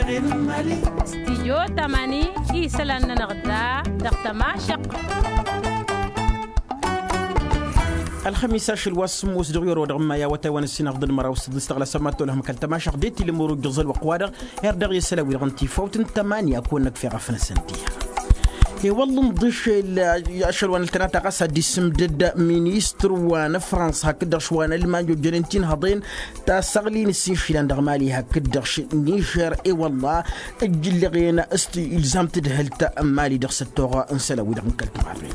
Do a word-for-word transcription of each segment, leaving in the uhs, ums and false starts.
Stijyo tamani isălan-nănăɣ da dăɣ-tămašăq. Ălxămis ašăl wa s-sǝmmos dăɣ-iwăr wa dăɣ-maya wătay wa n-ǝssin aɣḍǝn măraw s-săḍis tăɣlasăm ma t-olăhăm kăl-tămašăq d-etilǝm orojjăẓăl wăqq-wa-dăɣ. Her dăɣ-i s-ălawidăɣ n-tifawt n-tămani a kăwăn-năkf i-ɣăf-năsăn tiha. I-wălla ǝnḍǝšel ašăl wa n-ăltănata ɣas ad-dd-issǝmdăd ministăr wa n-fransa hakd-dăɣ š-wa n-ălmany ojjănen tinhăḍen tasăɣli n-ǝssin išilan dăɣ-mali hakd-dăɣ š-nižer. I-wălla ǝjjǝllăɣen s-ilzam tǝdhǝlt n-mali dăɣ-săttoɣ n-isălan-wi-dăɣ n-kăl-timarren.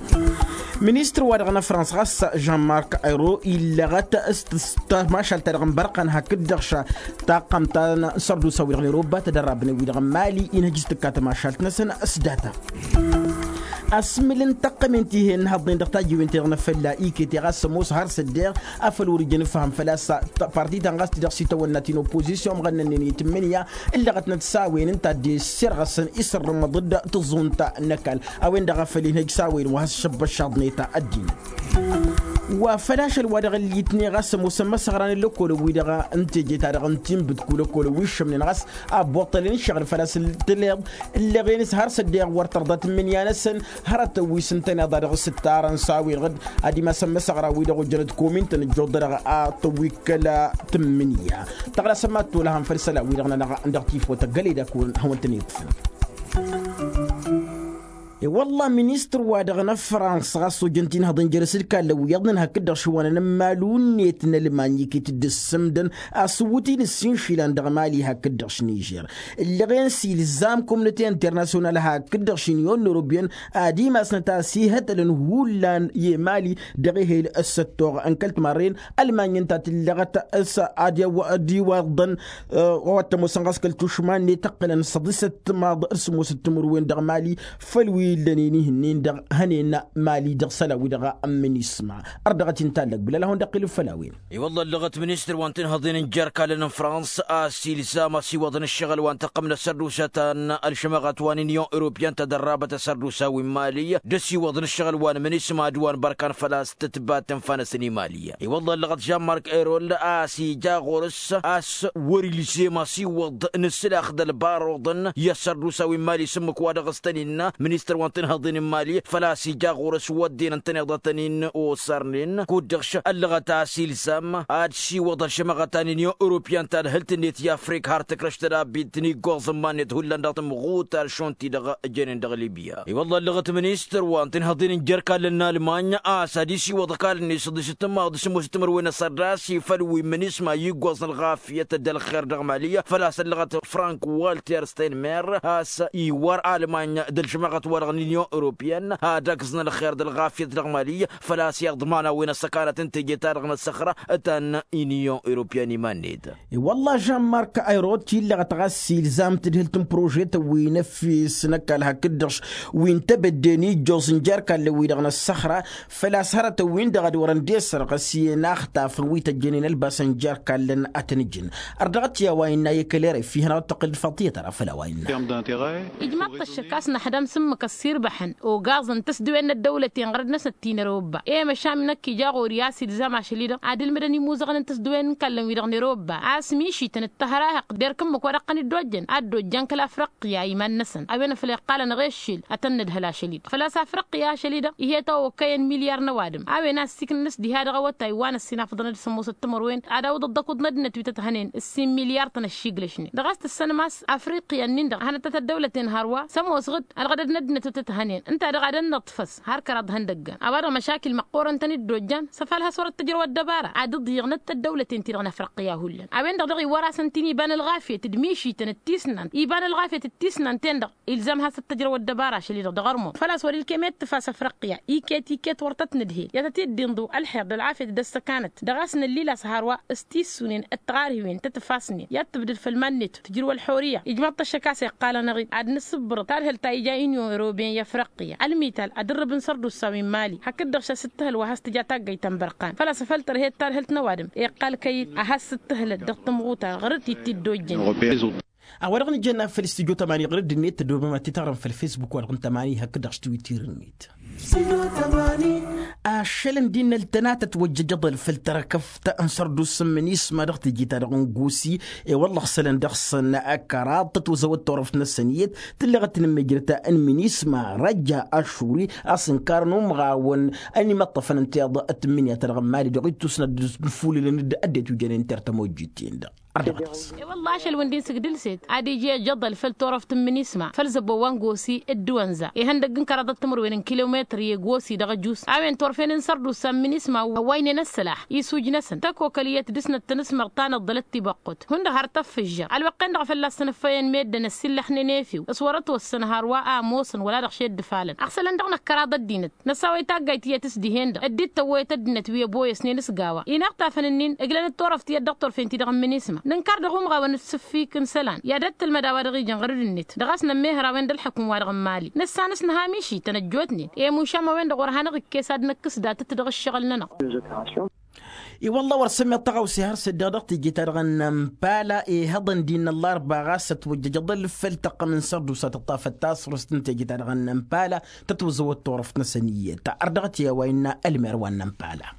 Ministăr-wa-dăɣ n-fransa ɣas jean-mark ayro illăɣăt s-tămašalt-ta-dăɣ n-bărqan hakd-dăɣ š-taqqămt ta n-sărdusa-wi-dăɣ n-eroba tădărrabnen-wi-dăɣ n-mali inhăj s-tǝkka tămašalt-năsăn s-data. Asmǝl n-taqqămen ti he-ǝnnihăḍnen dăɣ-tajǝwen-ti-dăɣ n-afălla iket i-ɣas ămoos har s-ăddeɣ afăl wăr ijăn ǝfham făl-a-s parti ta n-ɣas ti-dăɣ s-itawănna ti n-oppozisyon ămɣănnănnen i-tǝmmǝnǝya ǝllăɣătnăt s-a-wen ǝnta a dd-issirɣăsăn isǝrrǝmăḍ-dd tǝẓẓunt n-ăkall a-wen-dăɣ a făl inhăj s-a-wen wa has-šăbbăššaḍnet ăddinăt. Wa făl ašăl-wa-dăɣ ǝllitne ɣas ămoosăn imăsăɣran n-lăkolăn-wi-dăɣ n-teje-ta-dăɣ n-tinbǝtku lăkolăn wi ǝššămnen ɣas abboṭṭălăn ǝššăɣǝl făl-a-s tǝleḍ ǝlleɣen-s har s-ăddeɣ wăr tărḍa tǝmmǝnǝya-năsăn. Hărătăn wi s-ǝntăneḍ a dăɣ-s ǝttarăn s-a-wen-dăɣ ad-imasăn imăsăɣra-wi-dăɣ ojjănăt komintăn ǝjjuḍădăɣ a tăwwikkăl tǝmmǝnǝya. Tăɣlasăm ad-t-olăhăm făll-isălan-wi-dăɣ-nănăɣ dăɣ-tifot ăggălăy d-akăwăn hawăn-tăn-iṭṭfăn. I-wălla ministăr-wa-dăɣ n-afrans ɣas ojăn tinhăḍăn jere-s d-kallăn wi iyyăḍnen hakd-dăɣ šăwanăn n-imalu-net n-ălmany iket dd-ǝssǝmdăn asǝwwǝt-in ǝssin išilan dăɣ-mali hakd-dăɣ š-nižer. Ǝllăɣen s-ilzam komnăte internasyonal hakd-dăɣ š-inyon n-eropyăn ad-imasnăt a-s ihătălăn hullan i-mali dăɣ-ehel s-ăttoɣ n-kăl-timarren. Ălmany ǝnta a tǝllăɣăt s-ad-iwăḍăn wa t-ămoosăn ɣas kăl-tušman-net ǝqqǝlăn săḍisăt timaḍ d-sǝmmosăt timǝrwen dăɣ-mali făll-wi illănen ihǝnnin dăɣ-hănen mali dăɣ-isălan-wi-dăɣ n-minisma. Ărdăɣăt-in tallăg bǝlal a hawăn-dd-iqqǝl făll-a-wen. I-wălla ăllăɣăt ministăr wa n-tinhăḍen n-jer-kallăn n-frans a-s ilzam ăsiwăḍăn ǝššăɣǝl wa n-taqqǝmnăt sărdusa ta n-ălšămăɣăt wa n-inyon europyan tadărrabăt asărdusa wi n-mali d-ăsiwăḍăn ǝššăɣǝl wa n-minisma d-wa n-bărkan făl-a-s tǝtbat tǝnfa-năsăn i-mali. I-wălla ăllăɣăt jean-mark erol a-s ija ɣur-s a-s wăr-ilzem ăsiwăḍ n-ǝssǝlax d-ălbaruḍăn i-asărdusa wi n-mali s-ǝmmǝk wa dăɣ-s tăn-innă ministăr wa n-tinhăḍen n-mali făl-a-s ija ɣur-s wădden ǝntăneḍ a tăn-in-osărnen kud-dăɣ š-ăllăɣăt a-s ilzam ad-siwăḍ ălšămăɣăt ta n-inyon europyan tadhǝlt-net i-afrik har tǝkrăš tădabit n-iggoẓ n-iman-net hullan dăɣ-tǝmɣutar šund-ti-dăɣ ǝjănen dăɣ-libya. I-wălla ăllăɣăt ministăr wa n-tinhăḍen n-jer-kallăn n-almany a-s ad-isiwăḍ ăkall-net săḍisăt timmaḍ d-sǝmmosăt timǝrwen asărdas i-făl wi n-minisma i-iggoẓ n-ălɣafyăt d-ălxer dăɣ-mali făl-a-s ăllăɣăt frank walter steinmer a-s iwar almany d-ălžămăɣăt-wa-dăɣ n-inyon europyan ad-ăgẓăn ălxer d-ălɣafyăt dăɣ-mali făl-a-s iḍman a-wen ăssăkanăt n-teje-ta-dăɣ n-ăssăxra ta n-inyon europyan iman-net. I-wălla žan mark ayrot illăɣăt ɣas ilzam tǝdhǝlt n-prožetăn wi n-efes n-ăkall hakd-dăɣ wi n-tebădde n-ijjoẓ n-jer-kallăn-wi-dăɣ n-ăssăxra făl-a-s hărătăn-win-dăɣ ad-wărăn d-esărɣăs i-inaxtafăn wi tăjjănen ălbasăn jer-kallăn ad-tăn-ǝjǝn. Ărdăɣăt i-a-wa innă i-kăl-eref ihănăɣ-dd-tăqqǝl d-făḍiyăt ara făll-a-wa innă. Ijmaḍ-t ăššăk a-s năḥdăm s-ǝmmǝk ăssirbăḥăn ogaẓăn tăsdǝwen n-ăddăwlăten ɣărăd-năsăn ăttinărăwăbba i-măšan năkk ija ɣur-i a-s ilzam ašăl-i-dăɣ ad-ǝlmǝdăn imuzăɣăn n-tăsdǝwen n-kallăn-wi-dăɣ n-erăwăbba a-s mišităn d-tăhrahăqt d-erk ǝmmǝk wa dăɣ-tăn-dd-ojjăn ad-dd-ojjan kăl-afriqya iman-năsăn a-wen afăl iqqalăn ɣeššel ad-tăn-nǝdhăl ašăl-i-dăɣ făl-a-s afriqya ašăl-i-dăɣ ih'-e tawăkkăyăn milyar n-ăwadǝm a-wen a ăssiiknăn s-diha dăɣ-awătay wa n-ăssinafăḍăn d-sămoosăt timărwen ad-awǝḍăt d-akǝḍ n-ăddinăt wi tăt-hănen ǝssin milyar-tăn ăššiiglăšnen dăɣ-a-s tǝssănăm a-s afriqya-nin-dăɣ a hanăt-tăt ăddăwlăten hărwa s-ămoosăɣ-dd ălɣădăd n-ăddinăt wi tăt-hănen ǝnta-dăɣ ad-ănnăḍfăs har kăraḍ ihăndăggan a-wa-dăɣ măšakil măqqoorăn tăn-dd-ojjan s-ăfalhăs wăr-ăttăjrăw ăddăbara ad-ǝḍyăɣnăt ăddăwlăten-ti-dăɣ n-afriqya hullan a-wen-dăɣ daɣ iwwăr-asăn ti n-iba n-ălɣafyăt d-mišităn d-tisnant iba n-ălɣafyăt d-tisnant-ten-dăɣ ilzam ad-has-ăttăjrăw ăddăbara ašăl-i-dăɣ dăɣ-ărmon făl-a-s wăr-ilkem i-ad-tǝfa s-afriqya iket iket wăr tăt-nǝdhel i-ad-tăt-dd-inḍǝw ălxer d-ălɣafyăt d-ăssăkanăt dăɣ-a-s nǝllil a-s hărwa s-tissunen d-tiɣarhiwen tăt-ǝfasnen i-ad-tǝbdǝd făll-iman-net tǝjrǝw ălxorǝyya. Ijmaḍ-t ăššăk a-s iqqal-anăɣ-dd ad-nǝsǝbbărăt tadhǝlt ta ija inyon europyen i-afriqya ălmital ad-ǝrrǝb n-sărdusa wi n-mali hakd-dăɣ šasǝttăhăl wa has-tǝja taggayt ta n-bărqan făl-a-s afăl tărhed tadhǝlt n-ăwadǝm iqqal kăy-dd a has-sǝttǝhǝlăt dăɣ-tǝmɣuta ɣur-t ittǝddojjăn. A-wa-dăɣ nǝjănna făll-studyo tămani ɣur-dd-net tădobăm ad-t-taɣrăm făll-facebook-wa-dăɣ n-tămani hakd-dăɣ s-twitter-net. Studyo tămani. Ašălăn d-innă ăltănatăt wăjjăjăḍăl făll-tărkăft n-sărdusa n-minisma dăɣ-teje-ta-dăɣ n-gosi. I-wălla ăɣsălăn dăɣ-săn ăkăraḍ tătwăzăwăt turăft-năsăn iyyăt tǝlleɣ ad-tǝnǝmmijrăt n-minisma răjja ašuri a-s ǝnkarăn umɣawăn ănimăṭṭăfăn ǝnta iyyăḍ. Tǝmmǝnǝya-ta-dăɣ n-mali dăɣ-ittusnăt d-infulǝlăn d-ăddinăt wi jănen tertămojjit-in-dăɣ. Ărdăɣăt-as. I-wălla ašăl wi n-din sǝgdǝlset ad-ija ijăḍăl făll-turăft n-minisma făll-zăbbo wa n-gosi d-iwănza ihăndăgg n-kăraḍăt timǝrwen n-kilometri i-gosi dăɣ-ăjus a-wen turfen n-sărdusa n-minisma a-wa ǝynen ăssălaḥ isujj-năsăn tăkokăl iyyăt dăr-snăt tanǝsmăɣ ta n-ăḍḍălăt tibăqqut hundăɣ har tăffǝžžăɣ ălwăqq-en-dăɣ a fălla-s tăn-ǝffăyăn meddǝn ăssiillăxnen efew s-wăr-ătwăssăn har wa ămoosăn wăla dăɣ-šed d-ifalăn ăɣsălăn dăɣ-năkkăraḍ ăddinăt. Năsawăy taggayt iyyăt s-dihen-dăɣ dd-tăwwăyăt ăddinăt wi ăboyăsnen s-gawa-i n-iɣtafăn-nin ǝglănăt turăft iyyăt dăɣ-turfen-ti-dăɣ n-minisma nǝnkar dăɣ-umɣawăn d-sǝffik n-isălan i-ad-ăttălmăd a-wa dăɣ-ijăn ɣărăd-net dăɣ-a-s nămmehăr a-wen d-ălḥăkum-wa-dăɣ n-mali năssanăs nǝha mišităn ăjjootnen i-mušam a-wen-dăɣ wăr hanăɣ-ikkes ad-năkkǝs datăt dăɣ-ǝššăɣǝl-nănăɣ. I-wălla wăr sămmeḍ tăɣawse har s-ăddeɣ dăɣ-teje-ta-dăɣ n-ănpala ihăḍăn d-innă ăllarba ɣas ătwăjjăj aḍăl făll-tăqqăm n-sărdusa tǝṭṭafăt tasrǝst n-teje-ta-dăɣ n-ănpala tătwăzăwăt turăft-năsăn iyyăt. Ărdăɣăt i-a-wa innă ălmer wa n-ănpala.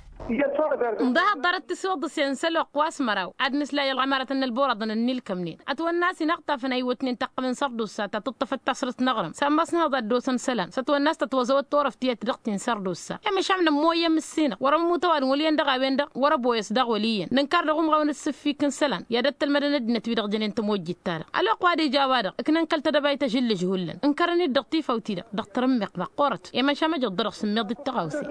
N-dăhaḍ ḍarăt tisiwǝḍǝsen s-ălwăqq wa s-măraw ad-nǝslay ălɣămarătăn n-ălburaḍăn ănnilkămnen ătwănna a-s inaɣtafăn a iwwătnen tăqqăm n-sărdusa ta tǝṭṭăfăt tasrǝst n-aɣrǝm s-ammas n-hăḍ ad-dd-osăn isălan s-ătwănna a-s tătwăzăwăt turăft tiyyăt dăɣ-ti n-sărdusa. I-măšan nămmoyyăn mǝssinăɣ wăr-ămmut ăwadǝm wăl' iyyăn dăɣ-a-wen-dăɣ wăr-ăboyăs daɣ wăl' iyyăn nǝnkar dăɣ-umɣawăn d-sǝffik n-isălan i-ad-ăttălmădăn ăddinăt-wi-dăɣ jănen tămojjit-ta-dăɣ ălwăqq wa d-ija a-wa-dăɣ ǝknăn kăl-tedăbayt ažǝllǝž hullan ǝnkărăn-dd dăɣ-tifawt-i-dăɣ dăɣ-tărǝmmeɣt măqqoorăt. I-măšan măjăḍ-dăɣ sǝmmeḍ-dd tăɣawse.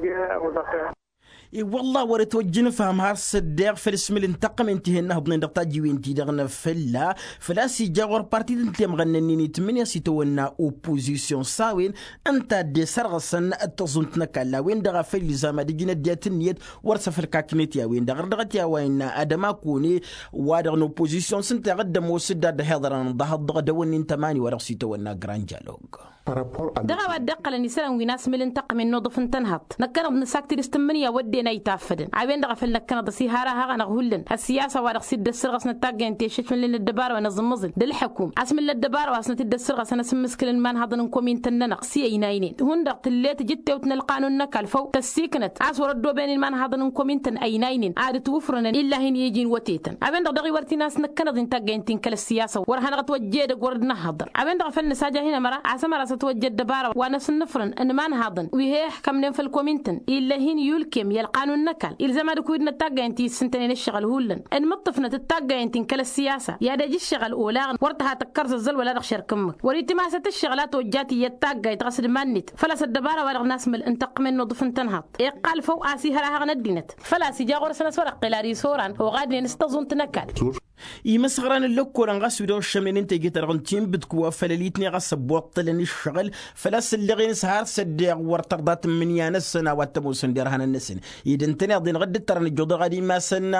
I-wălla wăr-ătwăjjǝnǝfham har s-ăddeɣ făll-asmǝl n-taqqămen ti-hen-năhăḍnen dăɣ-tajǝwen-ti-dăɣ n-afălla făl-a-s ija ɣur-partit n-temɣănna-nin itmǝnǝya s-itawănna oppozisyon s-a-wen ǝnta a dd-esărɣǝsăn d-taẓunt n-ăkall a-wen-dăɣ a făl ilzam ad-ǝjǝn ăddinăt ǝnniyăt wăr s-ăfălkaknet i-a-wen-dăɣ ărdăɣăt i-a-wa innă ad-ămakone wa-dăɣ n-oppozisyon s-ǝnta i-ad-dd-ămoos dd-ad-dd-hiḍărăn ḍahăḍ dăɣ-dăwănni n-tămani wa dăɣ-s itawănna grand dialog. Dăɣ-a-wa dd-iqqălăn isălan wi n-asmǝl n-taqqămen n-uḍǝf n-tănhăḍt năkkăneḍ nǝsakti dăɣ-s tǝmmǝnǝya wădden a itaffădăn a-wen-dăɣ a făl năkkăneḍ ăsiharahaɣ-anăɣ hullan ăssiyasa wa dăɣ-s dd-ăssărɣăsnăt taggăyăn ti ăššăšmălnen ăddăbara wa n-aẓǝmmăẓǝl d-ǝlḥăkum asmǝl n-ăddăbara wa s-năt-dd-ăssărɣăsăn asǝmmǝskǝl n-imanhăḍăn n-komintăn-nănăɣ s-i ăynaynen hundăɣ tǝllet jǝttewt n-ălqanun n-ăkall făw tăssiknăt a-s wăr-ăddooben imanhăḍăn n-komintăn ăynaynen ad-ǝtwǝfrǝnăn illahin i-iji n-wătetăn a-wen-dăɣ daɣ-i wăr t-in-asnăkkăneḍ-in taggăyăn ti n-kăl-ăssiyasa wăr hanăɣ-ătwăjjed ăgg wăr dd-năhhăḍăr a-wen-dăɣ a făl nǝsaja hin-ămăra a-s ămăra s-ătwăjja ăddăbara wa n-asǝnnǝfrăn n-imanhăḍăn wi he-ăhkămnen făll-komintăn ill'-e hin-iulkem i-ălqanun n-ăkall ilzăm ad-ǝkwǝydnăt taggăyăn ti ǝssǝntănen ǝššăɣǝl hullan ănmǝṭṭǝfnăt d-taggăyăn ti n-kăl-ăssiyasa i-ad-ej ǝššăɣǝl olaɣăn wăr tǝha tăkkăr zăzzăl wăla dăɣ-šerk ǝmmǝk wăr-itimasăt ǝššăɣǝl a tojjat iyyăt taggayt ɣas d-iman-net făl-a-s ăddăbara wa dăɣ-nasmǝl n-taqqǝmen n-uḍǝf n-tănhăḍt iqqal făw a-s ihăr ahăɣ n-ăddinăt făl-a-s ija ɣur-săn a-s wăr-ăqqel ad-isoran oɣadnen s-taẓunt n-ăkall. Imăsɣăran n-lăkkolăn ɣas wi-dăɣ ǝššămnen n-teje-ta-dăɣ n-tinbǝdk wa făl ălitne ɣas ăbbuṭṭălăn ǝššăɣǝl făl-a-s ǝlleɣ-en s-har s-ăddeɣ wăr tărḍa tǝmmǝnǝya-năsăn a-wa t-ămoosăn derhanăn-năsăn ed ǝntăneḍ-en ɣǝdd-dd-tărăn ǝjjuḍăɣ ad-imasăn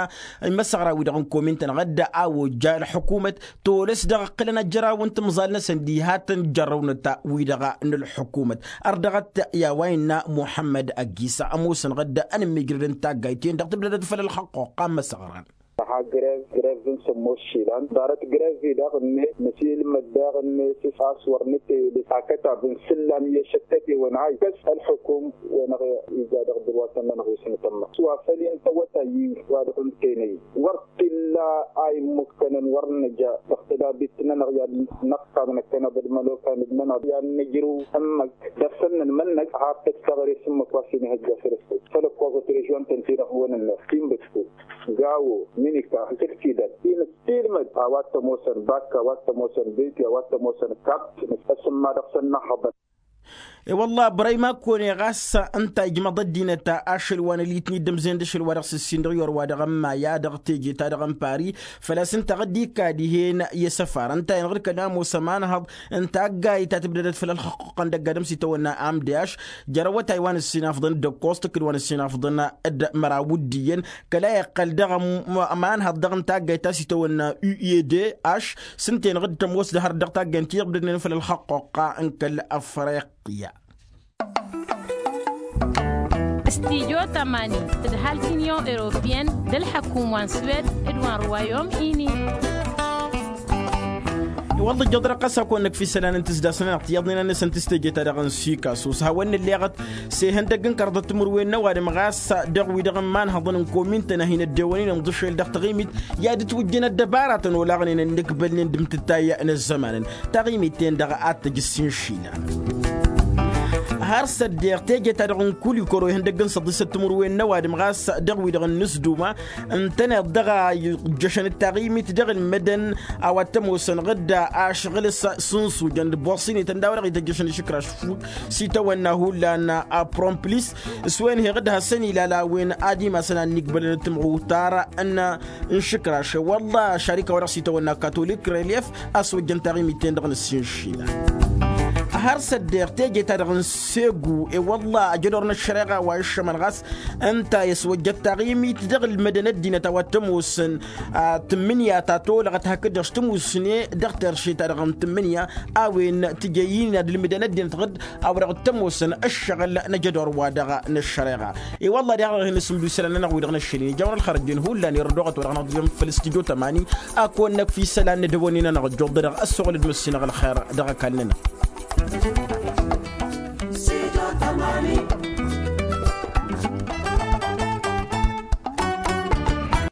imăsɣăra-wi-dăɣ n-komintăn ɣǝdd a ojja ălḥukumăt tolăs dăɣ-ǝqqǝlăn ajăraw n-timẓal-năsăn diha tăn-jărrăwnăt wi-dăɣ n-ălḥukumăt. Ărdăɣăt i-a-wa innă muḥămmăd ăggisa ămoosăn ɣǝdd ănǝmmijrăd n-taggayt-en-dăɣ tǝbdădăt făll-ălxăqqoqqa n-imăsɣăran. Dăɣ-ha grevz grevz n-sămmos išilan ḍarăt grevz-i daɣ-net nǝsilmăd daɣ-net a-s wăr nǝtele akătab n-isǝllam i-ašăk tătewăn a ikkăs ălxukum-wenăɣ ija dăɣ-dăr-wa tănnănăɣ wi s-nǝtămmăɣ s-wa făl intăwăt a iyyǝy wa dăɣ-ǝntenăy wăr t-illa a immukkănăn wăr nǝja dăɣ-tădabit-nănăɣ i-ad-năqqam năkkăneḍ d-imălokan-nănăɣ i-ad-nǝjrǝw ǝmmǝk dăr-săn nǝnmănnăk har tăt-taɣre s-ǝmmǝk wa s-inihăjja făll-ăsfăl făll-ăkkoẓăt režion-tăn-ti-dăɣ wănănnăɣ tinbǝtku gawo minika n-tǝktidan inǝttilmăd a-wa t-ămoosăn bakka a-wa t-ămoosăn beti a-wa t-ămoosăn kapt ăsǝmma dăɣ-săn n-ahăḍăn. E-wălla bărăy ma kăwăne ɣas ǝnta ijmăḍ ăddinăt ašăl wa n-ălitni d-ămzăyăn d-ašăl wa dăɣ-s ǝssin dăɣ-i orwa dăɣ-ămmaya dăɣ-teje-ta-dăɣ n-pari făl-a-s ǝnta ɣǝdd-ikka dihen i-asăfar ǝnta-en ɣǝd-kăl-ămoos ămanhăḍ n-taggayt ta tǝbdădăt făll-ălxăqqăn dăgg-adǝm s-itawănna amdeaš. Jărăwăt a-i wa n-ǝssin afḍăn d-ăkkoẓ tǝkkǝd wa n-ǝssin afḍăn d-măraw d-iyyăn kăla iqqăl dăɣ-ămanhăḍ dăɣ-n taggayt ta s-itawănna ued aš s-ǝnta-en ɣǝd-tămoos d-hărăt dăɣ-taggayt n-ti-dăɣ ǝbdădnen făll-ălxăqqoqqa n-kăl-afriqya. Studyo tămani tǝdhal t-inyon europiyăn d-ălḥăkum wa n-swed d-wa n-ruwayom ini. Wălla ǝjjăḍ dăɣ-ɣas a kăwăn-năkf isălan n-tǝzdas-nănăɣ tiyyăḍnen-năsăn tǝstejăt-ta-dăɣ n-sikasus hawăn-nǝlleɣăt s-ehăndăgg n-kărḍăt timǝrwen n-ăwadǝm ɣas dăɣ-wi-dăɣ n-imanhăḍăn n-komin-tăn a hin-ăddewănen ǝnḍǝšel dăɣ-taɣimit i-ad-ǝtwǝjjăn ăddăbaratăn olaɣnen ănnǝkbălnen d-imtǝttay n-ăzzămanăn. Taɣimit-ten-dăɣ ad-tăj ǝssin išilan. Har s-ăddeeɣ teje-ta-dăɣ n-kulikoro ihăndăgg n-săḍisăt timǝrwen n-ăwadǝm ɣas dăɣ-wi-dăɣ n-inǝsduma ǝntăneḍ dăɣ-a ijjăšăn d-taɣimit dăɣ-ǝlmǝdăn a-wa t-ămoosăn ɣǝdda ašăɣǝl s-sǝnsujăn d-boṣinităn d-a-wa dăɣ-ităjjăšăn išǝkraš fuk s-itawănna hullan. Apromplis s-wen heɣ-dd hasăn-ilal a-wen ad-imasăn ad-nikbălăn d-tǝmɣutar n-išǝkraš wălla šarika wa dăɣ-s itawănna katolik relef a-s wăjjăn taɣimit-ten-dăɣ n-ǝssin išilan. Har s-ăddeeɣ teje-ta-dăɣ n-segu i-wălla ajădor n-ăššăreɣa wa iššămăn ɣas ǝnta i-ăswăjjăt taɣimit dăɣ-ǝlmădăn ăddinăt a-wa t-ămoosăn tǝmmǝnǝya ta tolăɣăt hakd-dăɣ s-tǝmusne dăɣ-terše-ta-dăɣ n-tǝmmǝnǝya a-wen tǝjăy-in ad-ǝlmǝdăn ăddinăt ɣǝd a-wa dăɣ-t-ămoosăn ăššăɣǝl n-ajădor-wa-dăɣ n-ăššăreɣa. I-wălla daɣ a hin-ǝsǝmdu isălan-nănăɣ wi-dăɣ n-ăššăl-in ijawăn ălxărăt-en hullan irădoɣăt wa dăɣ-năɣ-dd-iyyăn făll-stujo tămani. A kăwăn-năkf isălan n-edăwănnin-anăɣ ǝjjuḍ-dăɣ ăssoɣăl d-măssinăɣ ălxer dăɣ-ăkall-nănăɣ.